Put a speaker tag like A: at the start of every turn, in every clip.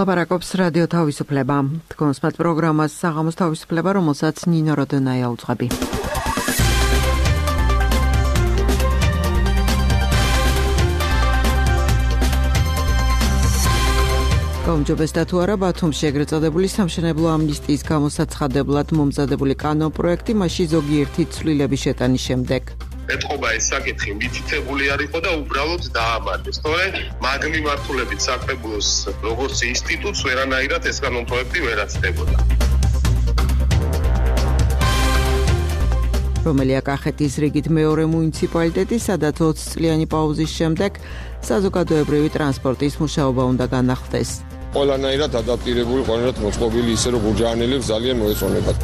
A: ლაპარაკობს რადიო თავისუფლება. თქვენს პროგრამას საღამოს თავისუფლება, რომელსაც ნინო როდონაია უძღვები. გაუმჯობესდა თუ არა ბათუმში ეგრეთ წოდებული სამშენებლო ამნისტიის გამოსაცხადებლად მომზადებული კანონპროექტი მასში ზოგიერთი ცვლილების შეტანის შემდეგ.
B: ეთყობა ეს საკითხი მითითებული არ იყო და უბრალოდ დაამარხეს. თორემ მაგ მიმართულებით საკრებულოს როგორც ინსტიტუტს ვერანაირად ეს კანონპროექტი ვერ აცდებოდა.
A: რომელია კახეთის რიგით მეორე მუნიციპალიტეტი, სადაც 20 წლიანი პაუზის შემდეგ საზოგადოებრივი ტრანსპორტის მუშაობა უნდა განახლდეს.
C: ყველანაირად ადაპტირებული, ყველანაირად მოწყობილი ისე რომ გურჯაანელებს ძალიან მოეწონებათ.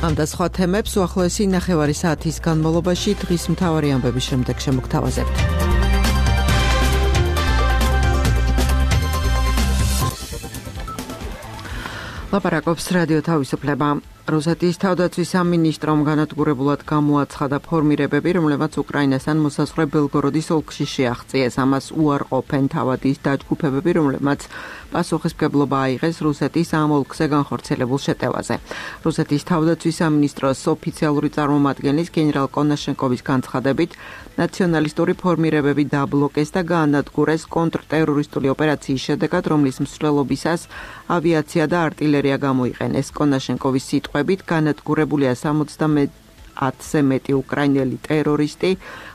A: ამ და სხვა თემებს უახლოესი ნახევარი საათის განმავლობაში დღის მთავარი ამბების შემდეგ შემოგთავაზებთ. ლაპარაკობს რადიო თავისუფლება. რუსეთის თავდაცვის სამინისტრომ განადგურებულად გამოაცხადა ფორმირებები, რომლებმაც უკრაინასთან მოსაზღვრე ბელგოროდის ოლქში შეაღწიეს. ამას უარყოფენ თავადის დაჯგუფებები, რომლებმაც პასუხისმგებლობა აიღეს რუსეთის ამ ოლქზე განხორციელებულ შეტევაზე. რუსეთის თავდაცვის სამინისტროს ოფიციალური წარმომადგენლის გენერალ კონაშენკოვის განცხადებით, ნაციონალისტური ფორმირებები დაბლოკეს და გაანადგურეს კონტრტერორისტული ოპერაციის შედეგად, რომლის მსვლელობისას ავიაცია და არტილერია გამოიყენეს. კონაშენკოვის სიტყვებით განადგურებულია 70-ზე მეტი უკრაინელი ტერორისტი,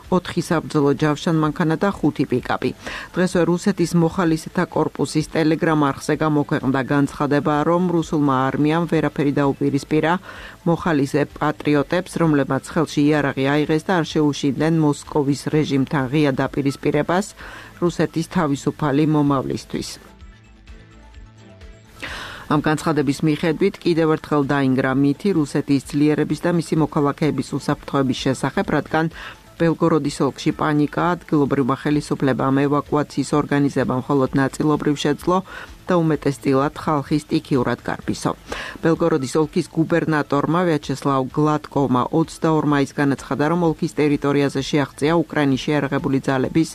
A: 4 საბრძოლო ჯავშან მანქანა და 5 პიკაპი. დღესვე რუსეთის მოხალისეთა კორპუსის ტელეგრამ არხზე გამოქვეყნდა განცხადება, რომ რუსულმა არმიამ ვერაფერი დაუპირისპირა მოხალისე პატრიოტებს, რომლებმაც ხელში იარაღი აიღეს და არ შეუშინდნენ მოსკოვის რეჟიმთან ღია დაპირისპირებას რუსეთის თავისუფალი მომავლისთვის. ამ განცხადების მიხედვით კიდევ ერთხელ დაინგრა მითი რუსეთის ძლიერების და მისი მოქალაქეების უსაფრთხოების შესახებ, რადგან ბელგოროდის ოლქში პანიკა, ადგილობრივმა ხელისუფლებამ ევაკუაციის ორგანიზება მხოლოდ ნაწილობრივ შეძლო და უმეტესწილად ხალხი სტიქიურად გარბისო. ბელგოროდის ოლქის გუბერნატორმა ვიაჩესლავ გლატკოვმა 22 მაისს განაცხადა, რომ ოლქის ტერიტორიაზე შეაღწია უკრაინის შეიარაღებული ძალების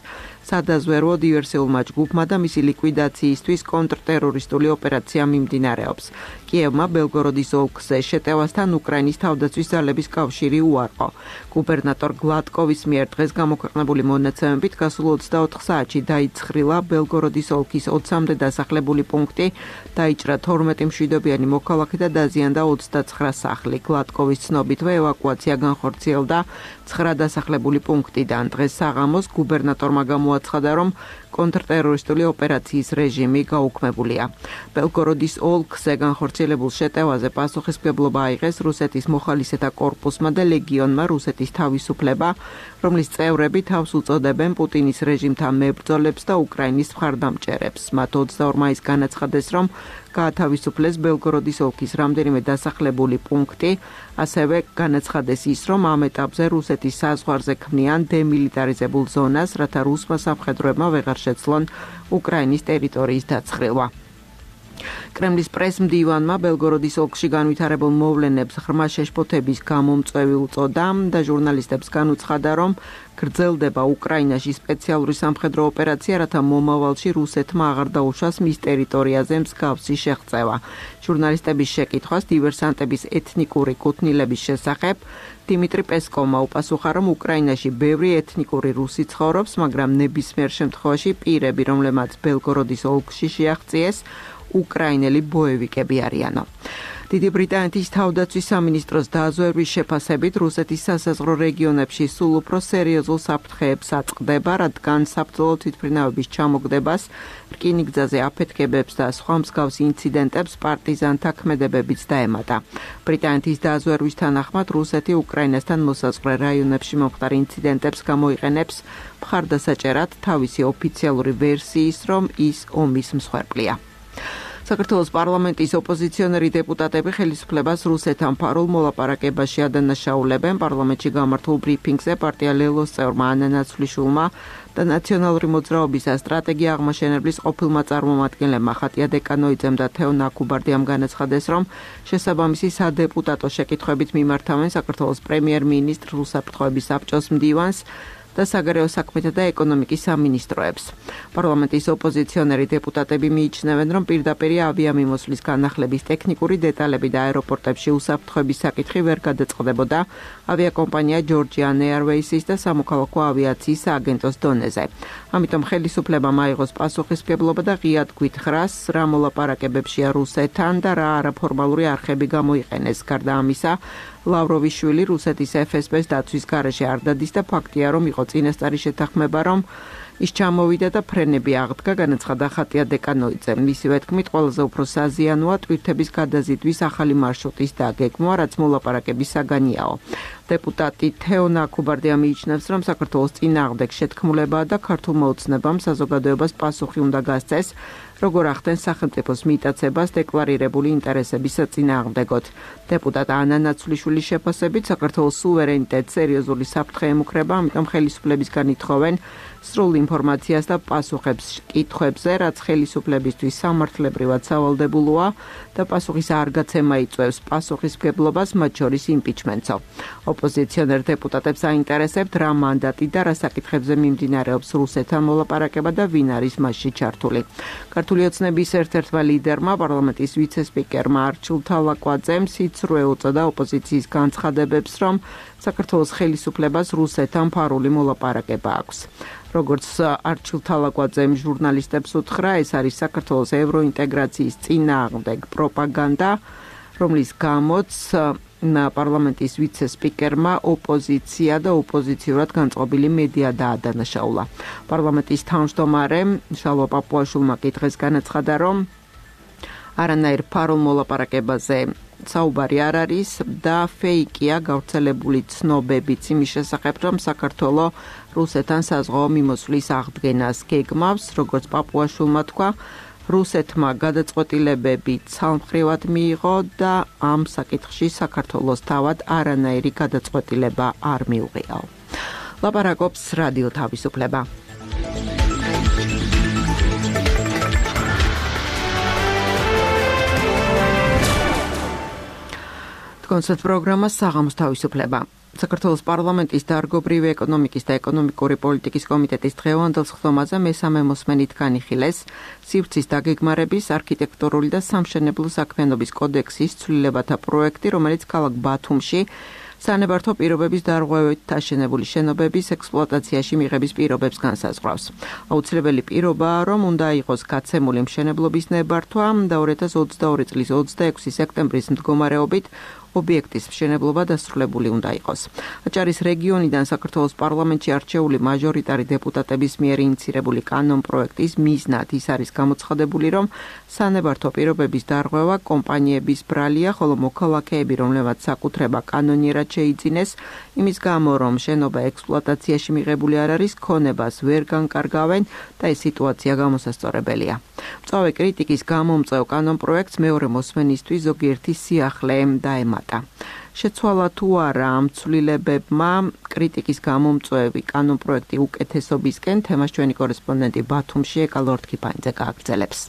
A: სადაზვერვო დივერსიულმა ჯგუფმა და მისი ლიკვიდაციისთვის კონტრტერორისტული ოპერაცია მიმდინარეობს. კიევმა ბელგოროდის ოლქზე შეტევასთან უკრაინის თავდაცვის ძალების კავშირი უარყო. გუბერნატორ გლატკოვის მიერ დღეს გამოქვეყნებული მონაცემებით გასულ 24 საათში დაიცხრილა ბელგოროდის ოლქის 20-მდე დასახლებული პუნქტი, დაიჭრა 12 მშვიდობიანი მოქალაქე და დაზიანდა 29 სახლი. გლატკოვის ცნობითვე ევაკუაცია განხორციელდა 9 დასახლებული პუნქტიდან. დღეს საღამოს გუბერნატორმა გამოაცხადა, რომ კონტრტერორისტული ოპერაციის რეჟიმი გაუქმებულია. ბელგოროდის ოლქზე განხორციელებულ შეტევაზე პასუხისმგებლობა აიღეს რუსეთის მოხალისეთა კორპუსმა და ლეგიონმა რუსეთის თავისუფლება, რომლის წევრები თავს უწოდებენ პუტინის რეჟიმთან მებრძოლებს და უკრაინის მხარდამჭერებს. მათ 22 მაისს განაცხადეს, რომ გაათავისუფლეს ბელგოროდის ოლქის რამდენიმე დასახლებული პუნქტი, ასევე განაცხადეს ის, რომ ამ ეტაპზე რუსეთის საზღვარზე ქმნიან დემილიტარიზებულ ზონას, რათა რუსმა სამხედროებმა ვეღარ შეცლონ უკრაინის ტერიტორიის დაცხრილვა. კრემლის პრესმდივანმა ბელგოროდის ოლქში განვითარებულ მოვლენებს ღრმა შეშფოთების გამომწვევი უწოდა და ჟურნალისტებს განუცხადა, რომ გრძელდება უკრაინაში სპეციალური სამხედრო ოპერაცია, რათა მომავალში რუსეთმა აღარ დაუშვას მის ტერიტორიაზე მსგავსი შეღწევა. ჟურნალისტების შეკითხვას დივერსანტების ეთნიკური კუთვნილების შესახებ დიმიტრი პესკოვმა უპასუხა, რომ უკრაინაში ბევრი ეთნიკური რუსი ცხოვრობს, მაგრამ ნებისმიერ შემთხვევაში პირები, რომლებმაც ბელგოროდის ოლქში შეაღწიეს, უკრაინელი ბოევიკები არიანო. დიდი ბრიტანეთის თავდაცვის სამინისტროს დაზვერვის შეფასებით რუსეთის სასაზღვრო რეგიონებში სულ უფრო სერიოზულ საფრთხეებს აწყდება, რადგან საბრძოლო თვითმფრინავების ჩამოგდებას, რკინიგზაზე აფეთქებებს და სხვა მსგავს ინციდენტებს პარტიზანთა ქმედებებიც დაემატა. ბრიტანეთის დაზვერვის თანახმად რუსეთი უკრაინასთან მოსაზღვრე რაიონებში მომხდარ ინციდენტებს გამოიყენებს მხარდასაჭერად თავისი ოფიციალური ვერსიის, რომ ის ომის მსხვერპლია. საქართველოს პარლამენტის ოპოზიციონერი დეპუტატები ხელისუფლებას რუსეთთან ფარულ მოლაპარაკებაში ადანაშაულებენ. პარლამენტში გამართულ ბრიფინგზე პარტია ლელოს წევრმა ანა ნაცვლიშვილმა და ნაციონალური მოძრაობის და სტრატეგია აღმაშენებლის ყოფილმა წარმომადგენლებმა ხატია დეკანოიძემ და თეო ნაკუბარდიამ განაცხადეს, რომ შესაბამისი სადეპუტატო შეკითხვებით მიმართავენ საქართველოს პრემიერ-მინისტრ რუსაფრთხოების საბჭოს მდივანს და საგარეო საქმეთა და ეკონომიკის სამინისტროებს. პარლამენტის ოპოზიციონერი დეპუტატები მიიჩნევენ, რომ პირდაპირ ავიამიმოსვლის განახლების ტექნიკური დეტალები და აეროპორტებში უსაფრთხოების საკითხი ვერ გადაწყდებოდა ავიაკომპანია Georgian Airways-ის და სამოქალაქო ავიაციის სააგენტოს დონეზე. ამიტომ ხელისუფლებამ აიღოს პასუხისმგებლობა და ღიად გვითხრას, რა მოლაპარაკებებშია რუსეთთან და რა არაფორმალური არხები გამოიყენეს. გარდა ამისა, ლავროვიშვილი რუსეთის FSB-ს დაცვის გარეშე არ დადის და ფაქტია, რომ იყო წინასწარი შეთანხმება, რომ ის ჩამოვიდა და ფრენები აღდგა, განაცხადა ხატია დეკანოიძემ. მისივე თქმით, ყველაზე უფრო საზიანოა ტვირთების გადაზიდვის ახალი მარშრუტის დაგეგმვა, რაც მოლაპარაკების საგანიაო. დეპუტატი თეონა ქუბარდია მიიჩნევს, რომ საქართველოს წინააღმდეგ შეთქმულებაა და ქართულმა ოცნებამ საზოგადოებას პასუხი უნდა გასცეს, როგორ ახდენს სახელმწიფოს მიტაცებას დეკლარირებული ინტერესების საწინააღმდეგოდ. დეპუტატ ანა ნაცვლიშვილის შეფასებით, საქართველოს სუვერენიტეტს სერიოზული საფრთხე ემუქრება, ამიტომ ხელისუფლებისგან ითხოვენ სრულ ინფორმაციას და პასუხებს კითხვებზე, რაც ხელისუფლებისთვის სამართლებრივად სავალდებულოა და პასუხის არ გაცემა იწვევს პასუხისმგებლობას, მათ შორის იმპიჩმენტსო. ოპოზიციონერ დეპუტატებს აინტერესებთ, რა მანდატი და რა საკითხებზე მიმდინარეობს რუსეთთან მოლაპარაკება და ვინ არის მასში ჩართული. ქართული ოცნების ერთ-ერთმა ლიდერმა, პარლამენტის ვიცე-სპიკერმა არჩილ თალაკვაძემ სიცრუე უწოდა ოპოზიციის განცხადებებს, რომ საქართველოს ხელისუფლებას რუსეთთან ფარული მოლაპარაკება აქვს. როგორც არჩილ თალაკვაძემ ჟურნალისტებს უთხრა, ეს არის საქართველოს ევროინტეგრაციის წინააღმდეგ პროპაგანდა, რომლის გამოც პარლამენტის ვიცე-სპიკერმა ოპოზიცია და ოპოზიციურად განწყობილი მედია დაადანაშაულა. პარლამენტის თავმჯდომარემ შალვა პაპუაშვილმა კითხეს განაცხადა, რომ არანაირ ფარულ მოლაპარაკებაზე საუბარი არ არის და ფეიკია გავრცელებული ცნობებიც იმის შესახებ, რომ საქართველოს რუსეთთან საზღვაო მიმოსვლის აღდგენას გეგმავს, როგორც პაპუაშვილმა თქვა, რუსეთმა გადაწყვეტილებები ცალმხრივად მიიღო და ამ საკითხში საქართველოს თავად არანაირი გადაწყვეტილება არ მიუღიაო. ლაპარაკობს რადიო თავისუფლება. კონცერტ პროგრამა საღამოს თავისუფლება. საქართველოს პარლამენტის დარგობრივი ეკონომიკის და ეკონომიკური პოლიტიკის კომიტეტის დღევანდელ სხდომაზე მესამე მოსმენით განიხილეს სივრცის დაგეგმარების, არქიტექტურული და სამშენებლო საქმიანობის კოდექსის ცვლილებათა პროექტი, რომელიც ქალაქ ბათუმში სანებართო პირობების დარღვევით აშენებული შენობების ექსპლუატაციაში მიღების პირობებს განსაზღვრავს. აუცილებელი პირობაა, რომ უნდა იყოს გაცემული მშენებლობის ნებართვა და 2022 წლის 26 სექტემბრის მდგომარეობით ობიექტის მშენებლობა დასრულებული უნდა იყოს. აჭარის რეგიონიდან საქართველოს პარლამენტში არჩეული მაჟორიტარი დეპუტატების მიერ ინიცირებული კანონპროექტის მიზნად ის არის გამოცხადებული, რომ სანებართო პირობების დარღვევა კომპანიების ბრალია, ხოლო მოქალაქეები, რომლებმაც საკუთრება კანონიერად შეიძინეს, იმის გამო, რომ შენობა ექსპლუატაციაში მიღებული არ არის, ქონებას ვერ განკარგავენ და ეს სიტუაცია გამოსასწორებელია. მწვავე კრიტიკის გამომწვევ კანონპროექტს მეორე მოსმენისთვის ზოგიერთი სიახლე დაემატა. შეცვალა თუ არა ამ ცვლილებებმა კრიტიკის გამომწვევი კანონპროექტი უკეთესობისკენ, თემას ჩვენი კორესპონდენტი ბათუმში ეკა ლორთქიფანიძე გააგრძელებს.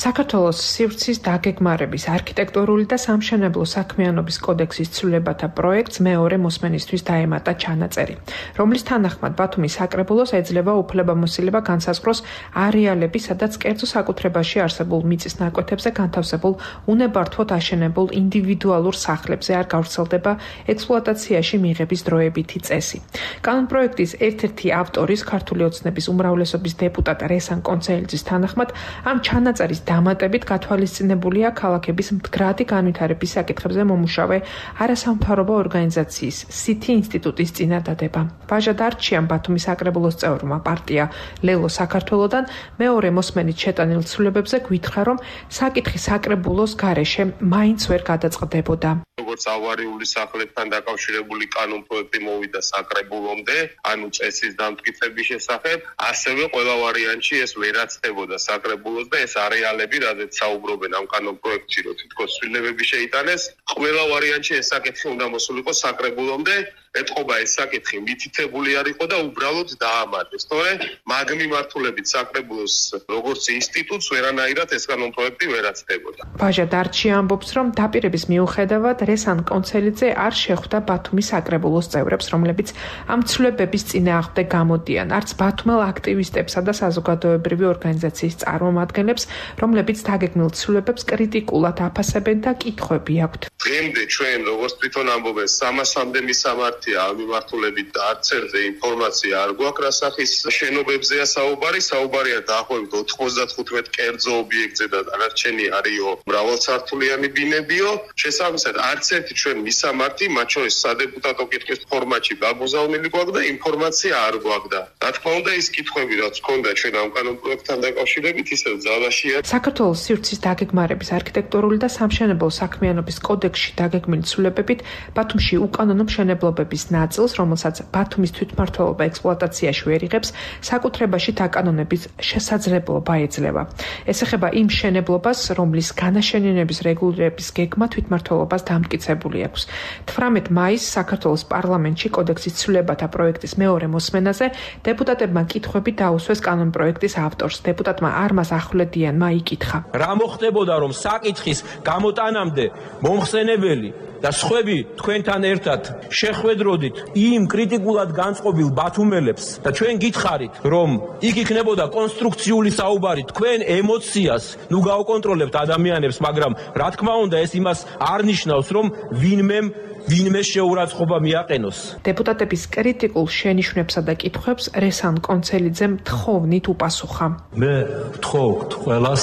D: საქართველოს სივრცის დაგეგმარების, არქიტექტურული და სამშენებლო საქმიანობის კოდექსის ცვლილებათა პროექტს მეორე მოსმენისთვის დაემატა ჩანაწერი, რომლის თანახმად ბათუმის საკრებულოს ეძლევა უფლებამოსილება განსაზღვროს არეალები, სადაც კერძო საკუთრებაში არსებულ მიწის ნაკვეთებზე განთავსებულ უნებართვოდ აშენებულ ინდივიდუალურ სახლებზე არ გავრცელდება ექსპლუატაციაში მიღების დროებითი წესი. კანონპროექტის ერთ-ერთი ავტორის ქართული ოცნების უმრავლესობის დეპუტატ რესან კონცელიძის თანახმად ამ ჩანაწერის დამატებით გათვალისწინებულია ქალაქების მდგრადი განვითარების საკითხებზე მომუშავე არასამთავრობო ორგანიზაციის სითი ინსტიტუტის წინადადება. ვაჟა დარჩიან ბათუმის საკრებულოს წევრმა პარტია ლელო საქართველოდან მეორე მოსმენით შეტანილ ცვლილებებზე გვითხრა, რომ საკითხი საკრებულოს გარეშე მაინც ვერ გადაწყდებოდა.
B: როგორც ავარიული სახლებთან დაკავშირებული კანონპროექტი მოვიდა საკრებულომდე, ანუ წესის დამტკიცების შესახებ, ასევე ყველა ვარიანტში ეს ვერაცდებოდა საკრებულოს და ეს არეალები, რადგან საუბრობენ ამ კანონპროექტში, რომ თითქოს ცვლილებები შეიტანეს, ყველა ვარიანტში ეს საკითხი უნდა მოსულიყო საკრებულომდე ეთყობა ეს საკითხი მითითებული არ იყო და უბრალოდ დაამატეს. თორე მაგ მიმართულებით საკრებულოს როგორც ინსტიტუტს ვერანაირად ეს კანონპროექტი ვერ აცდებოდა.
D: ბაჟა დარჩი ამბობს, რომ დაპირების მიუხედავად რესან კონცელიძე არ შეხვდა ბათუმის საკრებულოს წევრებს, რომლებიც ამ ცვლილებების წინააღმდეგ გამოდიან, არც ბათუმელ აქტივისტებსა და საზოგადოებრივი ორგანიზაციის წარმომადგენლებს, რომლებიც დაგეგმილ ცვლილებებს კრიტიკულად აფასებენ და კითხვები აქვთ.
B: დღემდე ჩვენ როგორც თვითონ ამბობენ 300-მდე მისამართია ამ მიმართულებით და არც ერთზე ინფორმაცია არ გვაქვს რა სახის შენობებზეა საუბარი. საუბარია დაახლოებით 95 კერძო ობიექტზე და დანარჩენი არისო მრავალსართულიანი ბინებიო. შესაბამისად არც ერთი ჩვენ მისამართი, მათ შორის სადეპუტატო კითხვის ფორმატში გაგუზავნილი გვაქვს და ინფორმაცია არ გვაქვს და რა თქმა უნდა ის კითხვები რაც ჰქონდა ჩვენ ამ კანონპროექტთან დაკავშირებით ისევ ძალაშია.
D: საქართველოს სივრცის დაგეგმარების არქიტექტურული და სამშენებლო საქმიანობის კოდექსში დაგეგმილი ცვლილებებით ბათუმში უკანონო მშენებლობების ნაწილს, რომელსაც ბათუმის თვითმმართველობა ექსპლუატაციაში ვერ იღებს, საკუთრებაში დაკანონების შესაძლებლობა ეძლევა. ეს ეხება იმ მშენებლობას, რომლის განაშენიანების რეგულირების გეგმა თვითმმართველობას დამტკიცებული აქვს. 18 მაისს საქართველოს პარლამენტში კოდექსის ცვლილებათა პროექტის მეორე მოსმენაზე დეპუტატებმა კითხვები დაუსვეს კანონპროექტის ავტორს. დეპუტატმა არმაზ ახვლედიანმა იკითხა:
E: რა მოხდებოდა, რომ საკითხის გამოტანამდე მომხსენებელი და სხვები თქვენთან ერთად შეხვედროდით იმ კრიტიკულად განწყობილ ბათუმელებს და ჩვენ გითხარით, რომ იქ იქნებოდა კონსტრუქციული საუბარი, თქვენ ემოციას ნუ გაუკონტროლებთ ადამიანებს, მაგრამ რა თქმა უნდა ეს იმას არ ნიშნავს, რომ ვინმე შეურაცხყოფა მიაყენოს.
D: დეპუტატების კრიტიკულ შენიშვნებსა და კითხვებს რესან კონცელიძემ თხოვნით უპასუხა.
F: მე ვთხოვთ ყველას,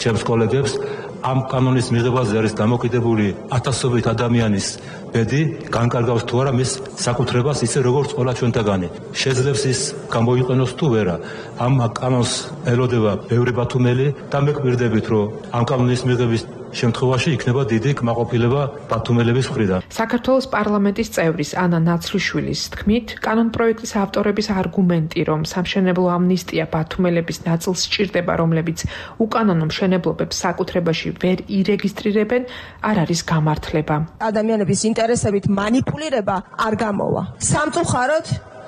F: ჩემს კოლეგებს, ამ კანონის მიღებაზე არის დამოკიდებული ათასობით ადამიანის ბედი, განკარგავს თუ არა მის საკუთრებას ისე როგორც ყველა ჩვენთაგანი. შეძლებს ის გამოიყენოს თუ ვერა. ამ კანონს ელოდება ბევრი ბათუმელი და მეკმირდებით, რომ ამ კანონის მიღების შემთხვევაში იქნება დიდი კმაყოფილება ბათუმელების მხრიდან.
D: საქართველოს პარლამენტის წევრის ანა ნაცვლიშვილის თქმით, კანონპროექტის ავტორების არგუმენტი, რომ სამშენებლო ამნისტია ბათუმელების ნაწილს სჭირდება, რომლებიც უკანონო მშენებლობებს საკუთრებაში ვერ ირეგისტრირებენ, არ არის გამართლება.
G: ადამიანების ინტერესებით манипуლირება არ გამოვა. სამწუხაროდ,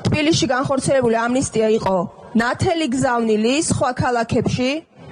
G: თბილისში განხორციელებული ამნისტია იყო ნათელი გზავნილი სხვა ქალაქებში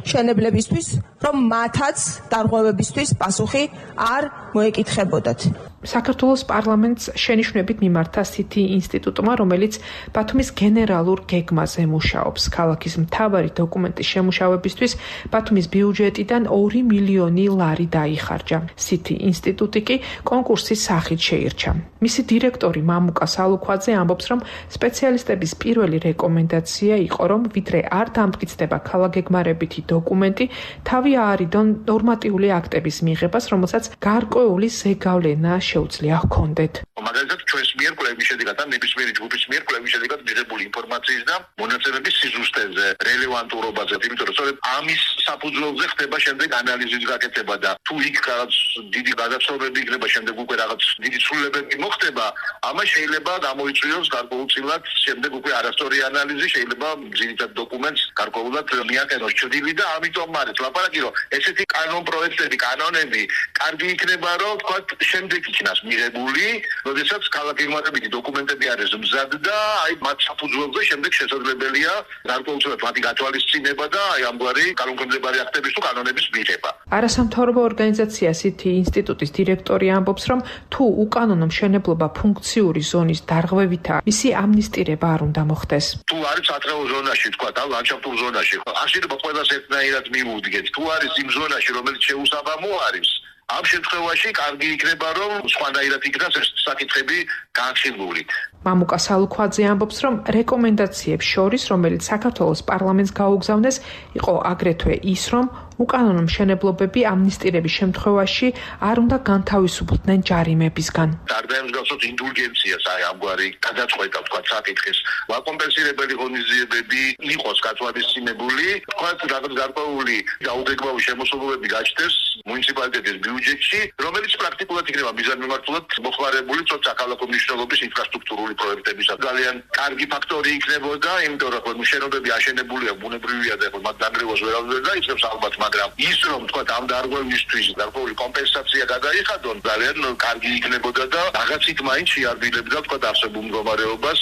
G: შენებლებისთვის, რომ მათაც დარღვევებისთვის პასუხი არ მოეკითხებოდათ.
D: საქართველოს პარლამენტს შენიშვნებით მიმართა CT ინსტიტუტმა, რომელიც ბათუმის გენერალურ გეგმაზე მუშაობს. ქალაქის მთავარი დოკუმენტის შემუშავებისთვის ბათუმის ბიუჯეტიდან 2 მილიონი ლარი დაიხარჯა. CT ინსტიტუტი კი კონკურსის სახით შეირჩა. მისი დირექტორი მამუკა სალუქვაძე ამბობს, რომ სპეციალისტების პირველი რეკომენდაცია იყო, რომ ვიდრე არ დამტკიცდება ქალაქგეგმარებითი დოკუმენტი, თავი აარიდონ ნორმატიული აქტების მიღებას, რომელსაც გარკვეული ზეგავლენა შეუძლია ჰქონდეთ.
H: მაგალითად ჩვენს მიერ კვლევის შედეგად და ნებისმიერი ჯგუფის მიერ კვლევის შედეგად მიღებული ინფორმაციის და მონაცემების სიზუსტეზე, რელევანტურობაზე, იმიტომ რომ სწორედ ამის საფუძველზე ხდება შემდეგ ანალიზის გაკეთება და თუ იქ რაღაც დიდი გადაცნობები იქნება, შემდეგ უკვე რაღაც დიდი ცვლილებები მოხდება, ამას შეიძლება გამოიწვიოს გარკვეულწილად შემდეგ უკვე არასწორი ანალიზი, შეიძლება ძირითად დოკუმენტს გარკვეულად მიაყენოს ჩრდილი და ამიტომ არის ლაპარაკი, რომ ესეთი კანონპროექტები, კანონები კარგი იქნება, რომ თქვა შემდეგ იქნას მიღებული, როდესაც ქალაქგეგმარებითი დოკუმენტები არის მზად და აი მათ საფუძველზე შემდეგ შესაძლებელია გარკვეულწილად მათი გათვალისწინება და აი ამგვარი კანონქვემდებარე აქტების თუ კანონების მიღება.
D: არასამთავრობო ორგანიზაცია CT ინსტიტუტის დირექტორი ამბობს, რომ თუ უკანონო მშენებლობა ფუნქციური ზონის დარღვევითაა, მისი ამნისტირება არ უნდა მოხდეს.
H: თუ არის სატრეო ზონაში, თქვა და ლანდშაფტურ ზონაში, აშენობა ყველას ერთნაირად მიუდგეთ. თუ არის იმ ზონაში, რომელიც შეუსაბამო არის, ამ შემთხვევაში კარგი იქნება, რომ სხვანაირად იქნას ეს საკითხები განხილული.
D: მამუკა სალუქვაძე ამბობს, რომ რეკომენდაციებს შორის, რომელიც საქართველოს პარლამენტს გაუგზავნეს, იყო აგრეთვე ის, რომ უკანონო მშენებლობები ამნისტირების შემთხვევაში არ უნდა განთავისუფლდნენ ჯარიმებისგან.
H: დარდაემსგავსოთ ინდულგენციას, აი ამგვარი გადაწყვეტა, თქვა საკითხის ვაკომპენსირებელი ღონისძიებები იყოს გათვალისწინებული, თქვა რაღაც გარკვეული დაუგეგმავი შემოსავლები გაჩნდეს მუნიციპალიტეტის ბიუჯეტში, რომელიც პრაქტიკულად იქნება მიზანმიმართულად მოხმარებული საქალაქო მნიშვნელობის ინფრასტრუქტურული პროექტებისას. ძალიან კარგი ფაქტორი იქნებოდა, იმიტომ რომ შენობები აშენებულია, ბუნებრივია და მათ დანგრევას ვერ აღძერდა, იწევს ალბათ მაგრამ ის რომ თქვა ამ დარღვევისთვის გარკვეული კომპენსაცია გადაიხადონ ძალიან კარგი იქნებოდა და რაღაცით მაინც შეარბილებდა თქვა არსებულ მდგომარეობას.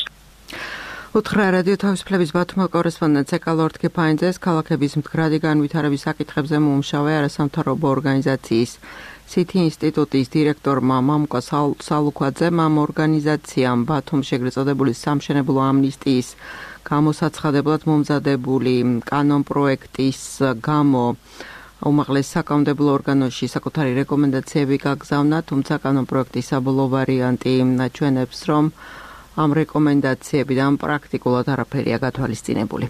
A: უთხრა რადიო თავისუფლების ბათუმელ კორესპონდენტს ეკალორთქი ფაინძეს ქალაქების მდგრადი განვითარების საკითხებზე მომუშავე არასამთავრობო ორგანიზაციის CITI ინსტიტუტის დირექტორმა მამუკა სალუქვაძემ ამ ორგანიზაციამ ბათუმში ეგრეთ წოდებული სამშენებლო ამნისტიის გამოსაცხადებლად მომზადებული კანონპროექტის გამო უმაღლეს საკანონმდებლო ორგანოში საკუთარი რეკომენდაციები გაგზავნა, თუმცა კანონპროექტის საბოლოო ვარიანტი აჩვენებს, რომ ამ რეკომენდაციებიდან პრაქტიკულად არაფერია გათვალისწინებული.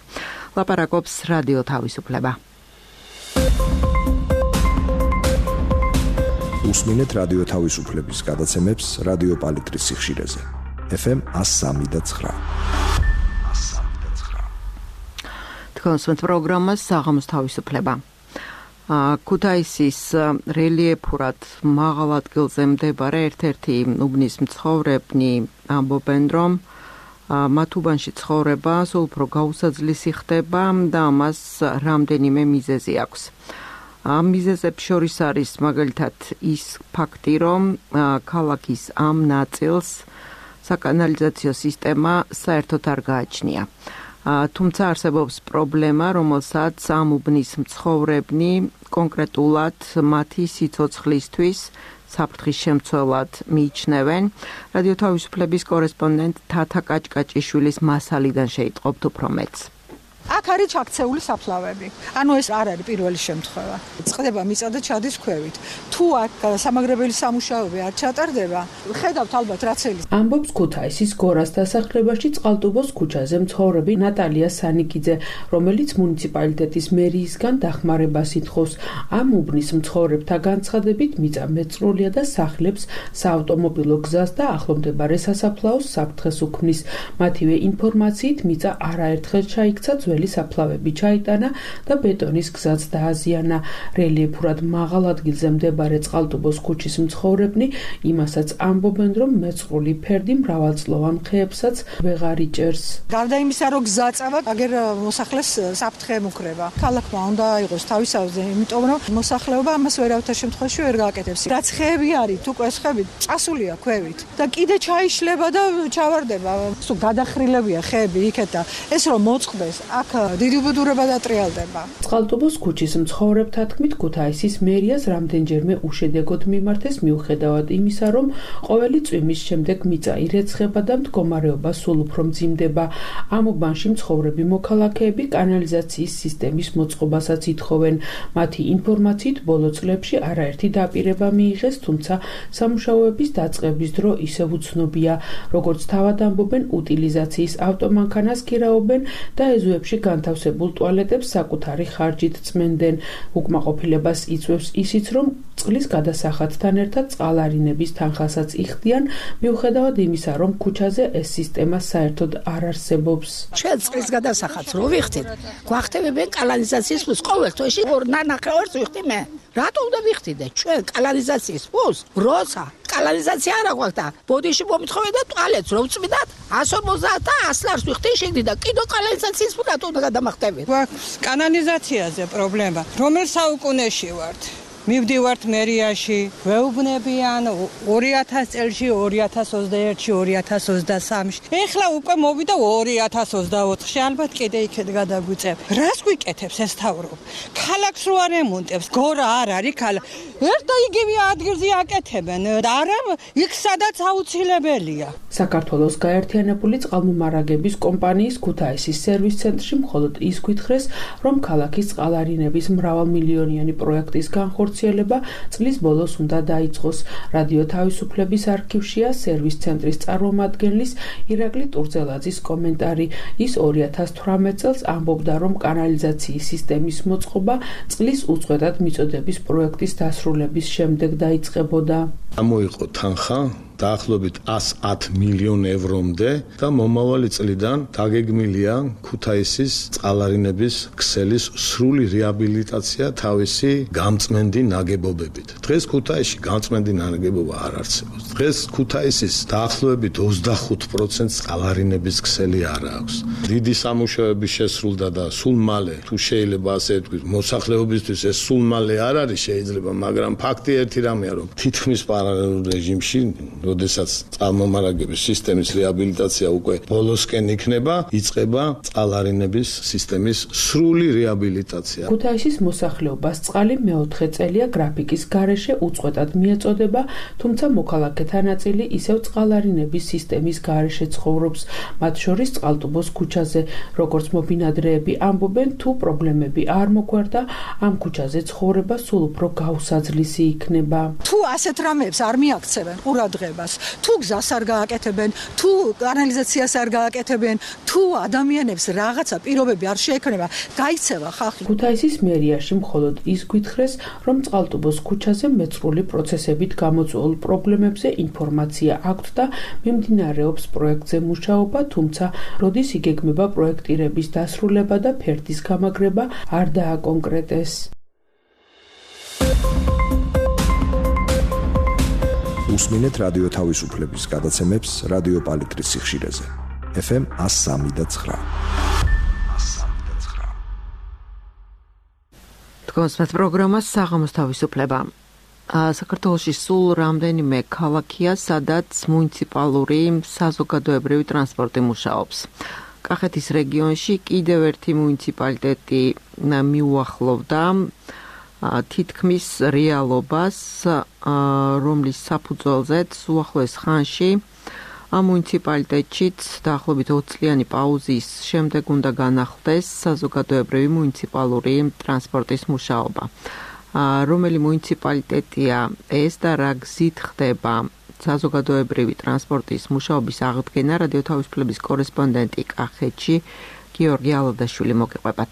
A: ლაპარაკობს რადიო თავისუფლება.
I: უსმინეთ რადიო თავისუფლების გადაცემებს რადიო პალიტრის სიხშირეზე. FM 103.9.
A: თქვენს პროგრამას საღამოს თავისუფლება. ქუთაისის რელიეფურად მაღალ ადგილზე მდებარე ერთ-ერთი უბნის მცხოვრებნი ამბობენ, რომ მათ უბანში ცხოვრება სულ უფრო გაუსაძლისი ხდება და ამას რამდენიმე მიზეზი აქვს. ამ მიზეზებს შორის არის მაგალითად ის ფაქტი, რომ ქალაქის ამ ნაწილს საკანალიზაციო სისტემა საერთოდ არ გააჩნია. თუმცა არსებობს პრობლემა, რომელსაც ამ უბნის მცხოვრებნი კონკრეტულად მათი სიცოცხლისთვის საფრთხის შემცველად მიიჩნევენ. რადიო თავისუფლების კორესპონდენტ თათა კაჭკაჭიშვილის მასალიდან შეიტყობთ უფრო მეტს.
J: აქ არის ჩაქცეული საფლავები. ანუ ეს არ არის პირველი შემთხვევა. წყდება მიწა და ჩადის ქვევით. თუ აქ სამაგრებელი სამუშაოები არ ჩატარდება, ხედავთ ალბათ რაც ელის.
D: ამბობს ქუთაისის გორას დასახლებაში წყალტუბოს ქუჩაზე მცხოვრები ნატალია სანიკიძე, რომელიც მუნიციპალიტეტის მერიისგან დახმარებას ითხოვს. ამ უბნის მცხოვრებთა განცხადებით მიწა მეწრულია და სახლებს საავტომობილო გზას და ახლომდებარე სასაფლაოს საფრთხეს უქმნის. მათივე ინფორმაციით მიწა არაერთხელ ჩაიქცა საფლავები ჩაიტანა და ბეტონის გზაც დააზიანა. რელიეფურად მაღალ ადგილზე მდებარე წყალტუბოს ქუჩის მცხოვრებნი იმასაც ამბობენ, რომ მეწყრული ფერდი მრავალწლოვან ხეებსაც ვეღარ იჭერს.
J: გარდა იმისა, რომ გზა წავა, აგერ მოსახლეს საფრთხე მუქრება. ქალაქმა უნდა აიღოს თავისავზე, იმიტომ რომ მოსახლეობა ამას ვერავითარ შემთხვევაში ვერ გააკეთებს. რაც ხეები არის, თუ კვესხები წასულია ქვევით და კიდე ჩაიშლება და ჩავარდება. სულ გადახრილებია ხეები იქეთ და ეს რომ მოწყდეს აქ დიდი უბედურება დატრიალდება.
D: წყალტუბოს ქუჩის მცხოვრებთა თქმით, ქუთაისის მერიას რამდენჯერმე უშედეგოდ მიმართეს მიუხედავად იმისა, რომ ყოველი წვიმის შემდეგ მიწა ირეცხება და მდგომარეობა სულ უფრო მძიმდება. ამ უბანში მცხოვრები მოქალაქეები კანალიზაციის სისტემის მოწყობასაც ითხოვენ. მათი ინფორმაციით ბოლო წლებში არაერთი დაპირება მიიღეს, თუმცა სამუშაოების დაწყების დრო ისევ უცნობია. როგორც თავად ამბობენ, უტილიზაციის ავტომანქანას ქირაობენ და ეზოებში განთავსებულ ტუალეტებს საკუთარი ხარჯით წმენდნენ. უკმაყოფილებას იწვევს ისიც, რომ წყლის გადასახადთან ერთად წყალარინების თანხასაც იხდიან, მიუხედავად იმისა, რომ ქუჩაზე ეს სისტემა საერთოდ არ არსებობს.
K: ჩვენ წყლის გადასახადს რო ვიხდით, გვახტებებენ კანალიზაციის ფულს ყოველ თვეში 2.5 ვიხდი მე. რატო უნდა ვიხდიდე? ჩვენ კანალიზაციის ფულს, როცა კანალიზაცია არ აქვს და ბოდიში მომითხოვენ და ტუალეტს რო ვწმიდათ 150 და 100 ლარს ვიხდი შეგდი და კიდო კანალიზაციის ფულს რატო უნდა გადამახტებით?
J: გვაქვს კანალიზაციაზე პრობლემა. რომელ საუკუნეში ვართ? მივდივართ მერიაში, ვეუბნებიან 2000 წელში, 2021-ში, 2023-ში. ეხლა უკვე მოვიდა 2024-ში, ალბათ კიდე იქეთ გადაგვიწევ. რას გვიკეთებს ეს თავრობ? ქალაქს რო არ ემონტებს, გორა არ არის ქალაქ. ერთ და იგივე ადგილზე აკეთებენ. არა, იქ სადაც აუცილებელია.
D: საქართველოს გაერთიანებული წყალმომარაგების კომპანიის ქუთაისის სერვის ცენტრში მხოლოდ ის გითხრეს, რომ ქალაქის წყალარინების მრავალმილიონიანი პროექტის განხორციელება წლის ბოლოს უნდა დაიწყოს. რადიო თავისუფლების არქივშია სერვის ცენტრის წარმომადგენლის ირაკლი ტურძელაძის კომენტარი. ის 2018 წელს ამბობდა, რომ კანალიზაციის სისტემის მოწყობა წლის უწყვეტად მიწოდების პროექტის დასრულების შემდეგ დაიწყებოდა.
L: გამოიყო თანხა დაახლოებით 110 მილიონ ევრომდე და მომავალი წლიდან დაგეგმილია ქუთაისის წყალარინების ქსელის სრული რეაბილიტაცია თავისი გამწმენდი ნაგებობებით. დღეს ქუთაისში გამწმენდი ნაგებობა არ არსებობს. დღეს ქუთაისის დაახლოებით 25% წყალარინების ქსელი არ აქვს. დიდი სამუშაოები შესრულდა და სულ მალე, თუ შეიძლება ასე ვთქვით, მოსახლეობისთვის ეს სულ მალე არ არის შეიძლება, მაგრამ ფაქტი ერთი რამეა, რომ თითქმის პარალელურ რეჟიმში როდესაც წყალმომარაგების სისტემის რეაბილიტაცია უკვე ბოლოსკენ იქნება, იწყება წყალარინების სისტემის სრული რეაბილიტაცია.
D: ქუთაისის მოსახლეობას წყალი მეოთხე წელია გრაფიკის გარეშე უწყვეტად მიეწოდება, თუმცა მოქალაქეთა ნაწილი ისევ წყალარინების სისტემის გარეშე ცხოვრობს, მათ შორის წყალტუბოს ქუჩაზე. როგორც მობინადრეები ამბობენ, თუ პრობლემები არ მოგვარდა, ამ ქუჩაზე ცხოვრება სულ უფრო გაუსაძლისი იქნება.
M: თუ ასეთ რამებს არ მიაქცევენ ყურადღებას, თუ გზას არ გააკეთებენ, თუ კანალიზაციას არ გააკეთებენ, თუ ადამიანებს რაღაცა პირობები არ შეექმნება, გაიქცევა ხალხი.
D: ქუთაისის მერიაში მხოლოდ ის გვითხრეს, რომ წყალტუბოს ქუჩაზე მეცხრული პროცესებით გამოწვეულ პრობლემებზე ინფორმაცია აქვთ და მიმდინარეობს პროექტზე მუშაობა, თუმცა როდის იგეგმება პროექტირების დასრულება და ფერდის გამაგრება არ დააკონკრეტეს.
I: უსმინეთ რადიო თავისუფლების გადაცემებს რადიო პალიტრის სიხშირეზე. FM 103.9.
A: თქვენს პროგრამას საღამოს თავისუფლება. საქართველოში სულ რამდენიმე ქალაქია, სადაც მუნიციპალური საზოგადოებრივი ტრანსპორტი მუშაობს. კახეთის რეგიონში კიდევ ერთი მუნიციპალიტეტი მიუახლოვდა თითქმის რეალობას, რომლის საფუძველზეც უახლოეს ხანში ამ მუნიციპალიტეტშიც დაახლოებით 20 წლიანი პაუზის შემდეგ უნდა განახლდეს საზოგადოებრივი მუნიციპალური ტრანსპორტის მუშაობა. რომელი მუნიციპალიტეტია ეს და რა გზით ხდება საზოგადოებრივი ტრანსპორტის მუშაობის აღდგენა, რადიო თავისუფლების კორესპონდენტი კახეთში გიორგი ალადაშვილი მოგიყვებათ.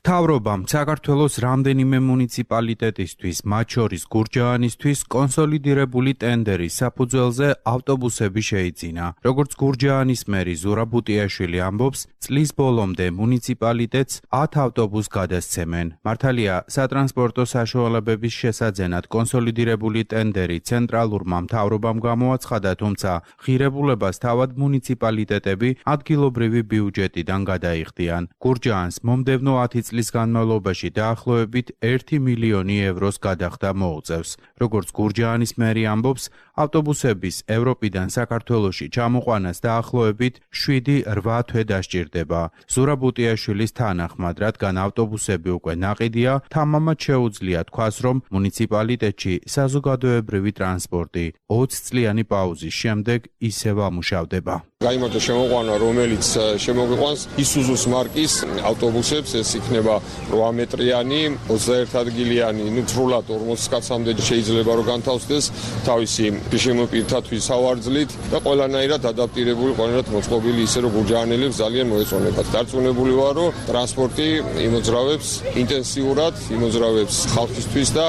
N: მთავრობამ საქართველოს რამდენიმე მუნიციპალიტეტისთვის, მათ შორის გურჯაანისთვის კონსოლიდირებული ტენდერის საფუძველზე ავტობუსები შეიძინა. როგორც გურჯაანის მერი ზურაბ ბუტიაშვილი ამბობს, წლის ბოლომდე მუნიციპალიტეტს 10 ავტობუსს გადასცემენ. მართალია, სატრანსპორტო საშუალებების შესაძენად კონსოლიდირებული ტენდერი ცენტრალურმა მთავრობამ გამოაცხადა, თუმცა ღირებულებას თავად მუნიციპალიტეტები ადგილობრივი ბიუჯეტიდან გადაიხდიან. გურჯაანს მომდევნო 10 წლის განმავლობაში დაახლოებით 1 მილიონი ევროს გადახდა მოუწევს. როგორც გურჯაანის მერი ამბობს, ავტობუსების ევროპიდან საქართველოში ჩამოყვანას დაახლოებით 7-8 თვე დასჭირდება. ზურაბ ბუტიაშვილის თანახმად, რადგან ავტობუსები უკვე ნაყიდია, თამამად შეუძლია თქვას, რომ მუნიციპალიტეტში საზოგადოებრივი ტრანსპორტი 20 წლიანი პაუზის შემდეგ ისევ ამუშავდება.
C: გაიმარჯვა შემოყვანა, რომელიც შემოგვიყვანს ისუზუს მარკის ავტობუსებს, ეს იქნება 8 მეტრიანი, 21 ადგილიანი, სრულად 40 კაცამდე შეიძლება რომ განთავსდეს თავისი შემოპირთათვის სავარძლით და ყველანაირად ადაპტირებული, ყველანაირად მოწყობილი ისე რომ გურჯაანელებს ძალიან მოეწონებათ. დარწმუნებული ვარ, რომ ტრანსპორტი იმოძრავებს ინტენსიურად, იმოძრავებს ხალხისთვის და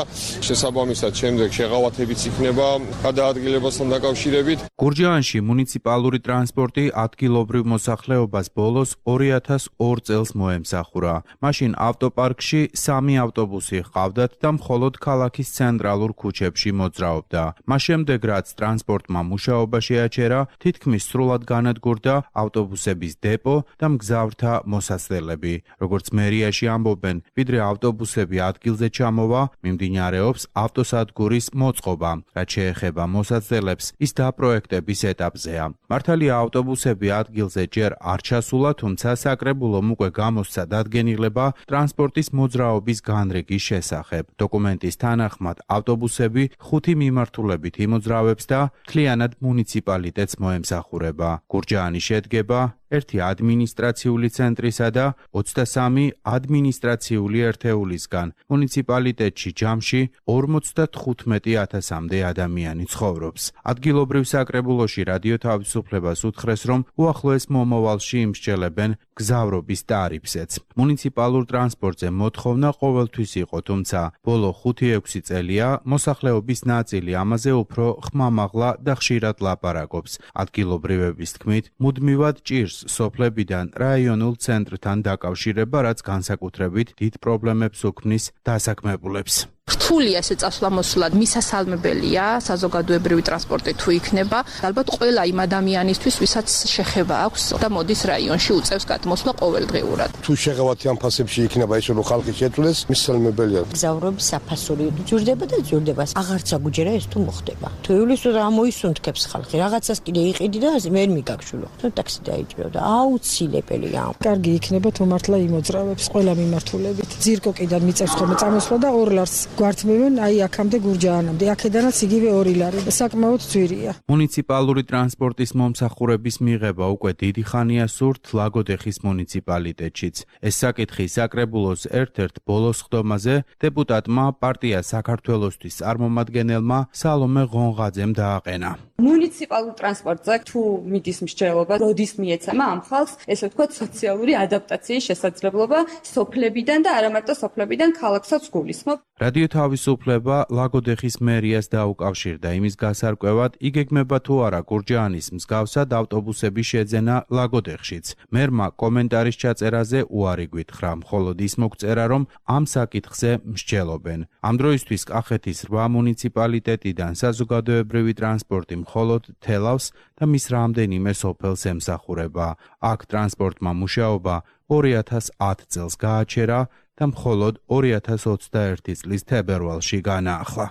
C: შესაბამისად შემდეგ შეღავათებიც იქნება გადაადგილებასთან დაკავშირებით.
N: გურჯაანში მუნიციპალური ტრანსპორტი ადგილობრივ მოსახლეობას ბოლოს 2002 წელს მოემსახურა. მაშინ ავტოპარკში 3 ავტობუსი ჰყავდათ და მხოლოდ ქალაქის ცენტრალურ ქუჩებში მოძრაობდა. მას შემდეგ, რაც ტრანსპორტმა მუშაობა შეაჩერა, თითქმის სრულად განადგურდა ავტობუსების დეპო და მგზავრთა მოსასწრებელი. როგორც მერიაში ამბობენ, ვიდრე ავტობუსები ადგილზე ჩამოვა, მიმდინარეობს ავტოსადგურის მოწყობა. რაც შეეხება მოსასწრებლებს, ის დაპროექტების ეტაპზეა. მართალია ავტობუსები ადგილზე ჯერ არ ჩასულა, თუმცა საკრებულომ უკვე გამოსცა დადგენილება ტრანსპორტის მოძრაობის განრიგის შესახებ. დოკუმენტის თანახმად, ავტობუსები 5 მიმართულებით იმოძრავებს და მთლიანად მუნიციპალიტეტს მოემსახურება. გურჯაანი შედგება 1 ადმინისტრაციული ცენტრისა და 23 ადმინისტრაციული ერთეულისგან. მუნიციპალიტეტში ჯამში 55,000-მდე ადამიანი ცხოვრობს. ადგილობრივ საკრებულოში რადიო თავისუფლებას უთხრეს, რომ უახლოეს მომავალში იმსჯელებენ გზავრობის ტარიფზეც. მუნიციპალურ ტრანსპორტზე მოთხოვნა ყოველთვის იყო, თუმცა ბოლო 5-6 წელია მოსახლეობის ნაწილი ამაზე უფრო ხმამაღლა და ხშირად ლაპარაკობს. ადგილობრივების თქმით, მუდმივად ჭირს სოფლებიდან რაიონულ ცენტრთან დაკავშირება, რაც განსაკუთრებით დიდ პრობლემებს უქმნის დასაქმებულებს.
O: რთულია ესე წასვლა-მოსვლა, მისასალმებელია საზოგადოებრივი ტრანსპორტი თუ იქნება, ალბათ ყველა იმ ადამიანისთვის, ვისაც შეხება აქვს და მოდის რაიონში უწევს გადმოსვლა ყოველდღიურად.
P: თუ შეღავათი ამ ფასებში იქნება ისე რომ ხალხი შეძლეს, მისასალმებელია.
Q: გზავრობის საფასური ძურდება და ძურდება. აღარცა გუჯერა ეს თუ მოხდება. თუ ივლისს რა მოისუნთქებს ხალხი, რაღაცას კიდე იყიდი და ვერ მიგაგშულო. თუ ტაქსი დაიჭირო და აუცილებელია.
M: კარგი იქნება თუ მართლა იმოძრავებს ყველა მიმართულებით. ძირკოკიდან მიწევს ხოლმე წამოსვლა და 2 ლარს გვართმევენ აი აქამდე გურჯაანამდე. აქედანაც იგივე 2 ლარი. საკმაოდ ძვირია.
N: მუნიციპალური ტრანსპორტის მომსახურების მიღება უკვე დიდი ხანია სურთ ლაგოდეხის მუნიციპალიტეტშიც. ეს საკითხი საკრებულოს ერთ-ერთ ბოლოს ხდომაზე დეპუტატმა პარტია საქართველოსთვის წარმომადგენელმა სალომე ღონღაძემ დააყენა.
R: მუნიციპალურ ტრანსპორტზე თუ მიდის მსჯელობა, როდის მიეცემა ამ ხალხს, ესე ვთქვათ, სოციალური ადაპტაციის შესაძლებლობა სოფლებიდან და არა მარტო სოფლებიდან ქალაქსაც გულისხმობ.
N: რადიო თავისუფლება ლაგოდეხის მერიას დაუკავშირდა იმის გასარკვევად, იგეგმება თუ არა გურჯაანის მსგავსად ავტობუსების შეძენა ლაგოდეხშიც. მერმა კომენტარის ჩაწერაზე უარი გვითხრა, მხოლოდ ის მოგწერა, რომ ამ საკითხზე მსჯელობენ. ამ დროისთვის კახეთის 8 მუნიციპალიტეტიდან საზოგადოებრივი ტრანსპორტი მხოლოდ თელავს და მის რამდენიმე სოფელს ემსახურება. აქ ტრანსპორტმა მუშაობა 2010 წელს გააჩერა და მხოლოდ 2021 წლის თებერვალში განაახლა.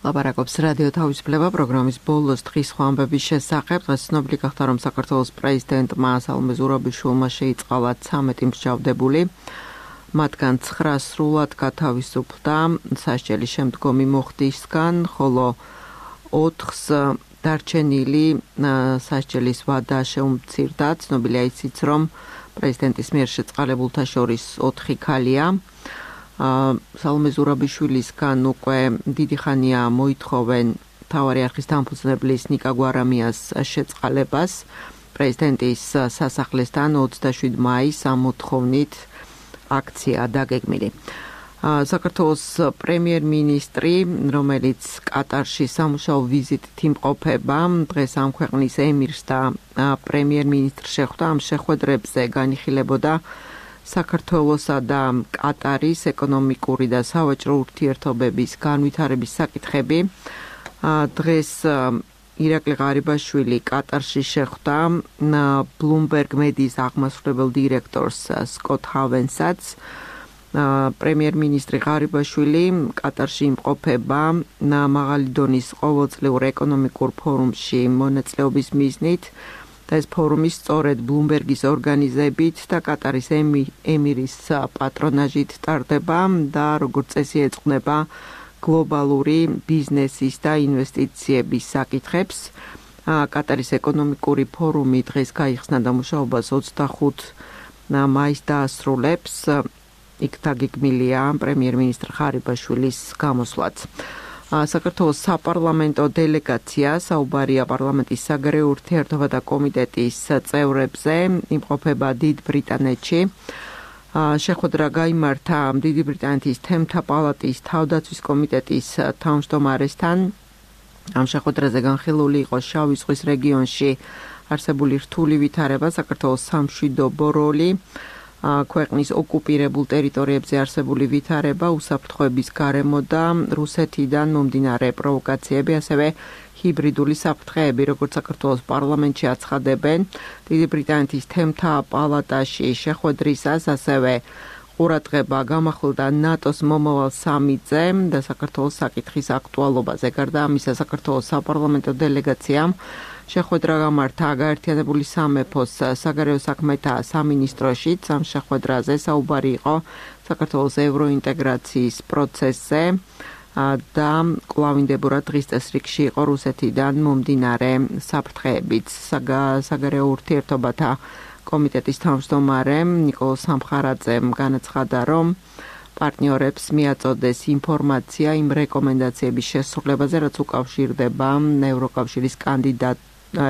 A: ლაპარაკობს რადიო თავისუფლება პროგრამის ბოლოს დღის ხვამბების შესახებ. დღეს ცნობილი გახდა, რომ საქართველოს პრეზიდენტმა სალომე ზურაბიშვილმა შეიწყალა 13 მსჯავრდებული. მათგან 9 სრულად გათავისუფლდა სასჯელის შემდგომი მოხდისგან, ხოლო 4-ს დარჩენილი სასჯელის ვადა შეუმცირდა. ცნობილია ისიც, რომ პრეზიდენტის მიერ შეწყალებულთა შორის 4 ქალია. სალომე ზურაბიშვილისგან უკვე დიდი ხანია მოითხოვენ მთავარი არხის დამფუძნებლის ნიკა გვარამიას შეწყალებას. პრეზიდენტის სასახლესთან 27 მაისს ამ მოთხოვნით აქცია დაგეგმილი. საქართველოს პრემიერ-მინისტრი, რომელიც კატარში სამუშაო ვიზიტით იმყოფება, დღეს ამ ქვეყნის ემირს და პრემიერ-მინისტრს შეხვდა. ამ შეხვედრებზე განიხილებოდა საქართველოსა და კატარის ეკონომიკური და სავაჭრო ურთიერთობების განვითარების საკითხები. დღეს ირაკლი ღარიბაშვილი კატარში შეხვდა ბლუმბერგ მედიის აღმასრულებელ დირექტორს სკოტ ჰავენსაც. პრემიერ-მინისტრი ღარიბაშვილი კატარში იმყოფება მაღალი დონის ყოველწლიურ ეკონომიკურ ფორუმში მონაწილეობის მიზნით და ეს ფორუმი სწორედ ბლუმბერგის ორგანიზებით და კატარის ემირის პატრონაჟით ტარდება და როგორც წესი ეძღვნება გლობალური ბიზნესის და ინვესტიციების საკითხებს. კატარის ეკონომიკური ფორუმი დღეს გაიხსნა და მუშაობას 25 მაისს დაასრულებს. იქ დაგეგმილია პრემიერ-მინისტრ ღარიბაშვილის გამოსვლაც. საქართველოს საპარლამენტო დელეგაცია საუბარია პარლამენტის საგარეო ურთიერთობათა კომიტეტის წევრებზე, იმყოფება დიდ ბრიტანეთში. შეხვედრა გაიმართა დიდი ბრიტანეთის თემთა პალატის თავდაცვის კომიტეტის თავმჯდომარესთან. ამ შეხვედრაზე განხილული იყო შავი ზღვის რეგიონში არსებული რთული ვითარება, საქართველოს სამშვიდობო როლი, ქვეყნის ოკუპირებულ ტერიტორიებზე არსებული ვითარება, უსაფრთხოების გარემო და რუსეთიდან მომდინარე პროვოკაციები, ასევე ჰიბრიდული საფრთხეები, როგორც საქართველოს პარლამენტში აცხადებენ. დიდი ბრიტანეთის თემთა პალატაში შეხვედრისას ასევე ყურადღება გამახვილდა ნატოს მომავალ სამიტზე და საქართველოს საკითხის აქტუალობაზე. გარდა ამისა, საქართველოს საპარლამენტო დელეგაციამ შეხვედრა გამართა გაერთიანებული სამეფოს საგარეო საქმეთა სამინისტროშიც. ამ შეხვედრაზე საუბარი იყო საქართველოს ევროინტეგრაციის პროცესზე და კვლავინდებურად დღის წესრიგში იყო რუსეთიდან მომდინარე საფრთხეებიც. საგარეო ურთიერთობათა კომიტეტის თავმჯდომარემ ნიკოლოზ სამხარაძემ განაცხადა, რომ პარტნიორებს მიაწოდეს ინფორმაცია იმ რეკომენდაციების შესრულებაზე, რაც უკავშირდება ევროკავშირის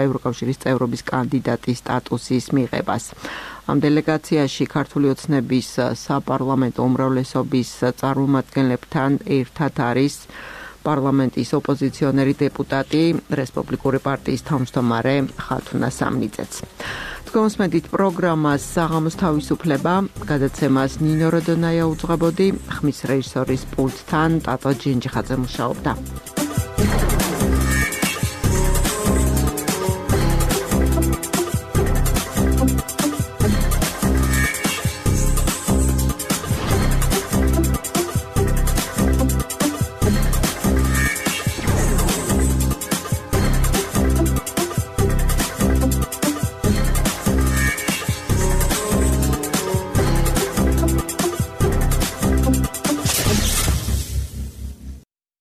A: ევროკავშირის წევრობის კანდიდატის სტატუსის მიღებას. ამ დელეგაციაში ქართული ოცნების საპარლამენტო უმრავლესობის წარმომადგენლებთან ერთად არის პარლამენტის ოპოზიციონერი დეპუტატი რესპუბლიკური პარტიის თავმჯდომარე ხათუნა სამნიძეც. თქვენსმენით პროგრამას საღამოს თავისუფლება, გადაცემას ნინო როდონაია უძღვებოდი, ხმის რეჟისორის პულტთან ტატო ჯინჯიხაძე მუშაობდა.